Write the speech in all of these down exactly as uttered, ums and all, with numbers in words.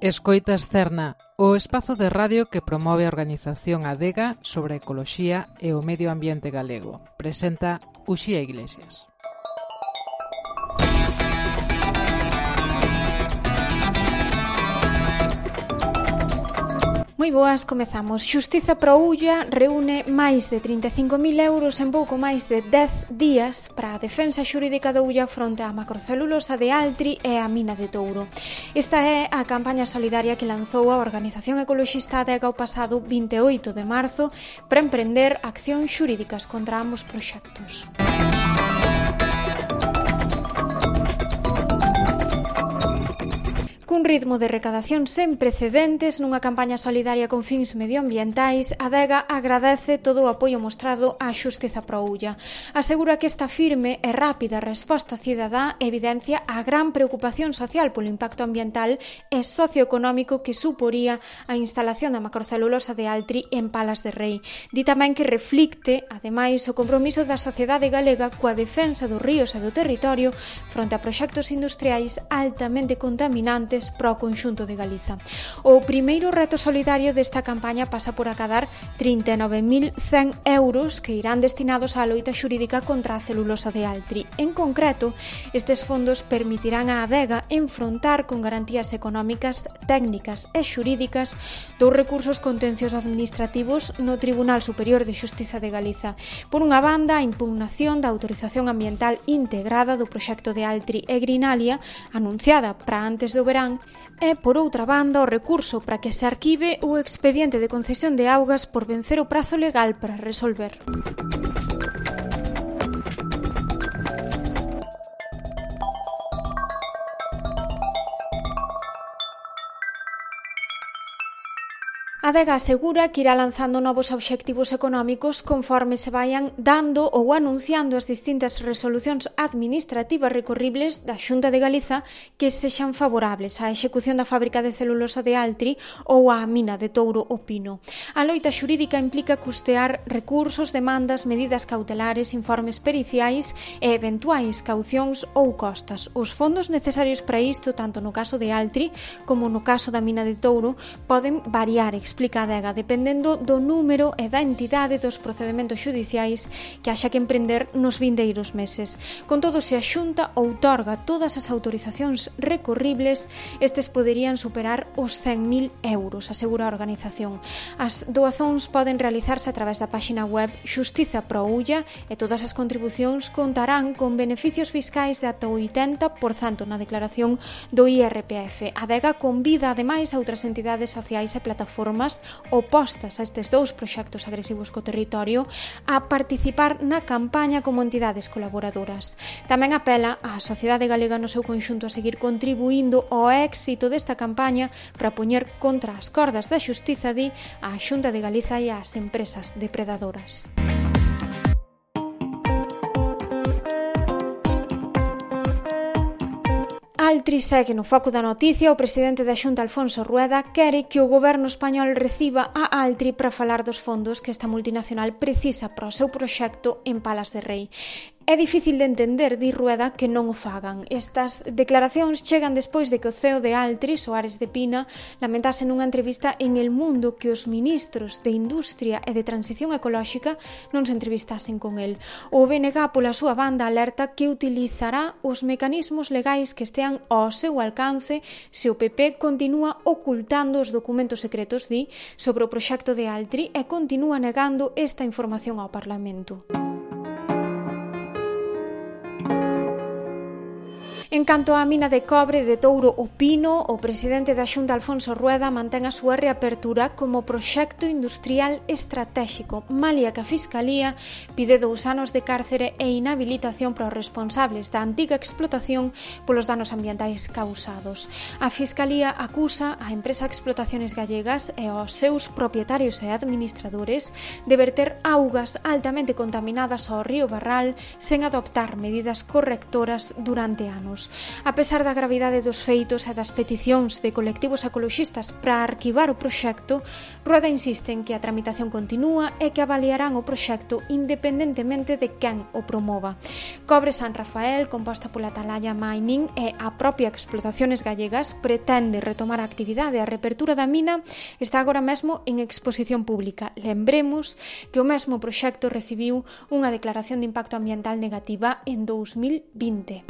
Escoitas Cerna, o espazo de radio que promove a organización Adega sobre a ecoloxía e o medio ambiente galego. Presenta Uxía Iglesias. Moi boas, comezamos. Xustiza Pro Ulla reúne máis de trinta e cinco mil euros en pouco máis de dez días para a defensa xurídica do Ulla fronte á macrocelulosa de Altri e a mina de Touro. Esta é a campaña solidaria que lanzou a organización ecoloxista Adega o pasado vinte e oito de marzo para emprender accións xurídicas contra ambos proxectos. Cun ritmo de recadación sen precedentes nunha campaña solidaria con fins medioambientais, Adega agradece todo o apoio mostrado á Xustiza Pro Ulla. Asegura que esta firme e rápida resposta cidadá evidencia a gran preocupación social polo impacto ambiental e socioeconómico que suporía a instalación da macrocelulosa de Altri en Palas de Rei. Di tamén que reflicte, ademais, o compromiso da sociedade galega coa defensa dos ríos e do territorio fronte a proxectos industriais altamente contaminantes para o conxunto de Galiza. O primeiro reto solidario desta campaña pasa por acadar trinta e nove mil cen euros que irán destinados á loita xurídica contra a celulosa de Altri. En concreto, estes fondos permitirán á Adega enfrontar con garantías económicas, técnicas e xurídicas dous recursos contenciosos administrativos no Tribunal Superior de Xustiza de Galiza. Por unha banda, a impugnación da autorización ambiental integrada do proxecto de Altri e Grinalia, anunciada para antes do verán, e, por outra banda, o recurso para que se arquive o expediente de concesión de augas por vencer o prazo legal para resolver. Adega asegura que irá lanzando novos obxectivos económicos conforme se vayan dando ou anunciando as distintas resolucións administrativas recorribles da Xunta de Galiza que sexan favorables á execución da fábrica de celulosa de Altri ou á mina de Touro o Pino. A loita xurídica implica custear recursos, demandas, medidas cautelares, informes periciais e eventuais caucións ou costas. Os fondos necesarios para isto, tanto no caso de Altri como no caso da mina de Touro, poden variar, explica a Adega, dependendo do número e da entidade dos procedementos xudiciais que haxa que emprender nos vindeiros meses. Con todo, se a Xunta outorga todas as autorizacións recorribles, estes poderían superar os cen mil euros, asegura a organización. As doazóns poden realizarse a través da páxina web Xustiza Pro Ulla e todas as contribucións contarán con beneficios fiscais de ata o oitenta por cento na declaración do I R P F. A Adega convida, ademais, a outras entidades sociais e plataformas opostas a estes dous proxectos agresivos co territorio a participar na campaña como entidades colaboradoras. Tamén apela á sociedade galega no seu conxunto a seguir contribuindo ao éxito desta campaña para poñer contra as cordas da xustiza, di, á Xunta de Galiza e ás empresas depredadoras. Altri segue no foco da noticia. O presidente da Xunta, Alfonso Rueda, quere que o goberno español reciba a Altri para falar dos fondos que esta multinacional precisa para o seu proxecto en Palas de Rei. É difícil de entender, di Rueda, que non o fagan. Estas declaracións chegan despois de que o C E O de Altri, Soares de Pina, lamentase nunha entrevista en El Mundo que os ministros de Industria e de Transición Ecolóxica non se entrevistasen con el. O B N G, pola súa banda, alerta que utilizará os mecanismos legais que estean ao seu alcance se o P P continúa ocultando os documentos secretos, di, sobre o proxecto de Altri e continúa negando esta información ao Parlamento. En canto á mina de cobre de Touro o Pino, o presidente da Xunta, Alfonso Rueda, mantén a súa reapertura como proxecto industrial estratéxico, malia que a Fiscalía pide dous anos de cárcere e inhabilitación para os responsables da antiga explotación polos danos ambientais causados. A Fiscalía acusa a empresa Explotaciones Gallegas e aos seus propietarios e administradores de verter augas altamente contaminadas ao río Barral sen adoptar medidas correctoras durante anos. anos. A pesar da gravidade dos feitos e das peticións de colectivos ecoloxistas para arquivar o proxecto, Rueda insiste en que a tramitación continúa e que avaliarán o proxecto independentemente de quen o promova. Cobre San Rafael, composta pola Atalaya Mining e a propia Explotaciones Gallegas, pretende retomar a actividade. A reapertura da mina está agora mesmo en exposición pública. Lembremos que o mesmo proxecto recibiu unha declaración de impacto ambiental negativa en dous mil vinte.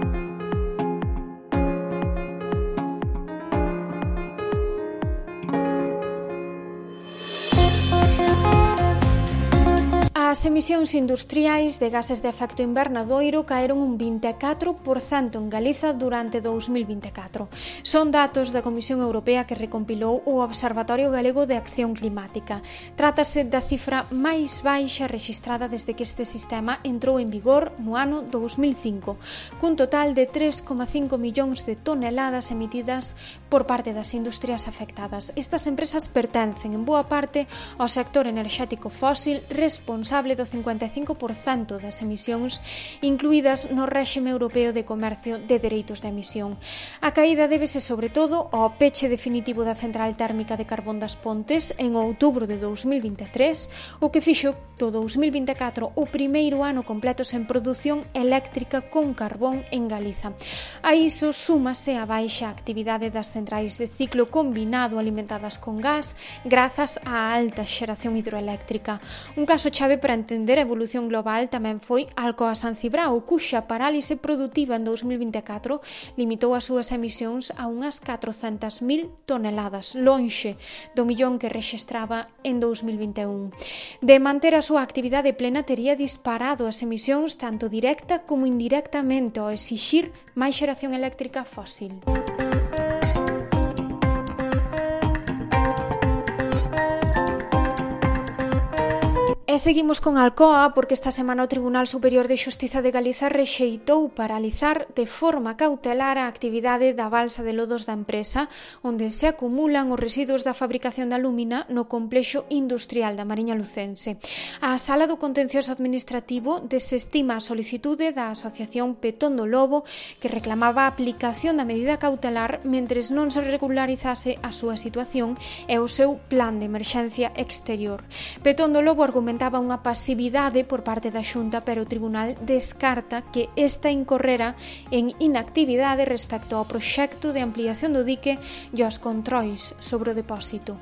As emisións industriais de gases de efecto invernadoiro caeron un vinte e catro por cento en Galiza durante dous mil vinte e catro. Son datos da Comisión Europea que recompilou o Observatorio Galego de Acción Climática. Trátase da cifra máis baixa rexistrada desde que este sistema entrou en vigor no ano dous mil cinco, cun total de tres coma cinco millóns de toneladas emitidas por parte das industrias afectadas. Estas empresas pertencen en boa parte ao sector enerxético fósil, responsable do cincuenta e cinco por cento das emisións incluídas no réxime europeo de comercio de dereitos de emisión. A caída débese sobre todo ao peche definitivo da central térmica de Carbón das Pontes en outubro de dous mil vinte e tres, o que fixo do dous mil vinte e catro o primeiro ano completo sen produción eléctrica con carbón en Galiza. A iso súmase a baixa actividade das centrais de ciclo combinado alimentadas con gas grazas á alta xeración hidroeléctrica. Un caso chave para entender a evolución global tamén foi Alcoa San Cibrao, cuxa parálise produtiva en dous mil vinte e catro limitou as súas emisións a unhas catrocentas mil toneladas, lonxe do millón que rexistraba en dous mil vinte e un. De manter a súa actividade plena, tería disparado as emisións tanto directa como indirectamente ao exixir máis xeración eléctrica fósil. E seguimos con Alcoa porque esta semana o Tribunal Superior de Xustiza de Galiza rexeitou paralizar de forma cautelar a actividade da balsa de lodos da empresa onde se acumulan os residuos da fabricación da alúmina no complexo industrial da Mariña Lucense. A Sala do Contencioso Administrativo desestima a solicitude da Asociación Petón do Lobo que reclamaba a aplicación da medida cautelar mentres non se regularizase a súa situación e o seu plan de emerxencia exterior. Petón do Lobo argumentaba unha pasividade por parte da Xunta, pero o Tribunal descarta que esta incorrera en inactividade respecto ao proxecto de ampliación do dique e aos controis sobre o depósito.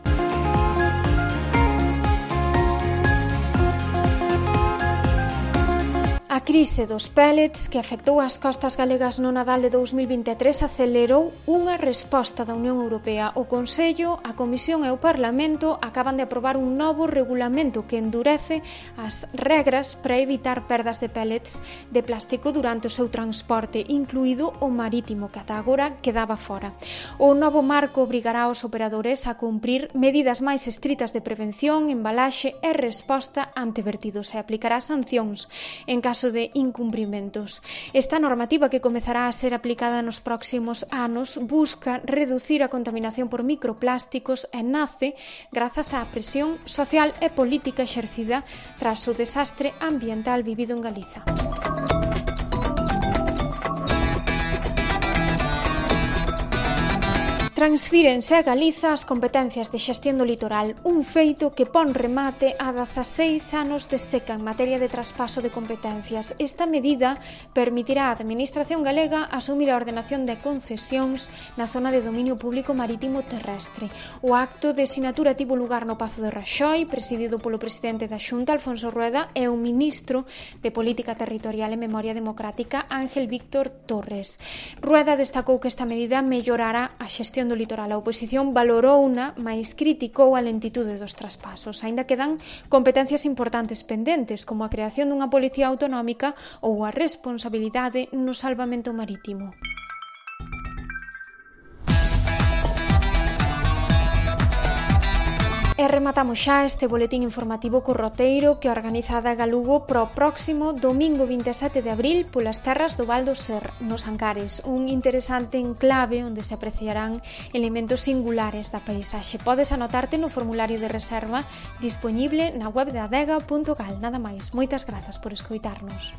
A crise dos pellets que afectou as costas galegas no Nadal de dous mil vinte e tres acelerou unha resposta da Unión Europea. O Consello, a Comisión e o Parlamento acaban de aprobar un novo regulamento que endurece as regras para evitar perdas de pellets de plástico durante o seu transporte, incluído o marítimo, que ata agora quedaba fora. O novo marco obrigará aos operadores a cumprir medidas máis estritas de prevención, embalaxe e resposta ante vertidos e aplicará sancións en caso de incumprimentos. Esta normativa, que comezará a ser aplicada nos próximos anos, busca reducir a contaminación por microplásticos e nace grazas á presión social e política exercida tras o desastre ambiental vivido en Galiza. Transfírense a Galiza as competencias de xestión do litoral, un feito que pon remate a dezaseis anos de seca en materia de traspaso de competencias. Esta medida permitirá á Administración galega asumir a ordenación de concesións na zona de dominio público marítimo terrestre. O acto de sinatura tivo lugar no Pazo de Raxoi, presidido polo presidente da Xunta, Alfonso Rueda, e o ministro de Política Territorial e Memoria Democrática, Ángel Víctor Torres. Rueda destacou que esta medida mellorará a xestión do litoral. A oposición valorouna, mais criticou a lentitude dos traspasos. Aínda quedan competencias importantes pendentes, como a creación dunha policía autonómica ou a responsabilidade no salvamento marítimo. E rematamos xa este boletín informativo co roteiro que organiza a Adega Lugo pro próximo domingo vinte e sete de abril polas terras do Val do Ser, nos Ancares, un interesante enclave onde se apreciarán elementos singulares da paisaxe. Podes anotarte no formulario de reserva dispoñible na web de adega punto gal. Nada máis, moitas grazas por escoitarnos.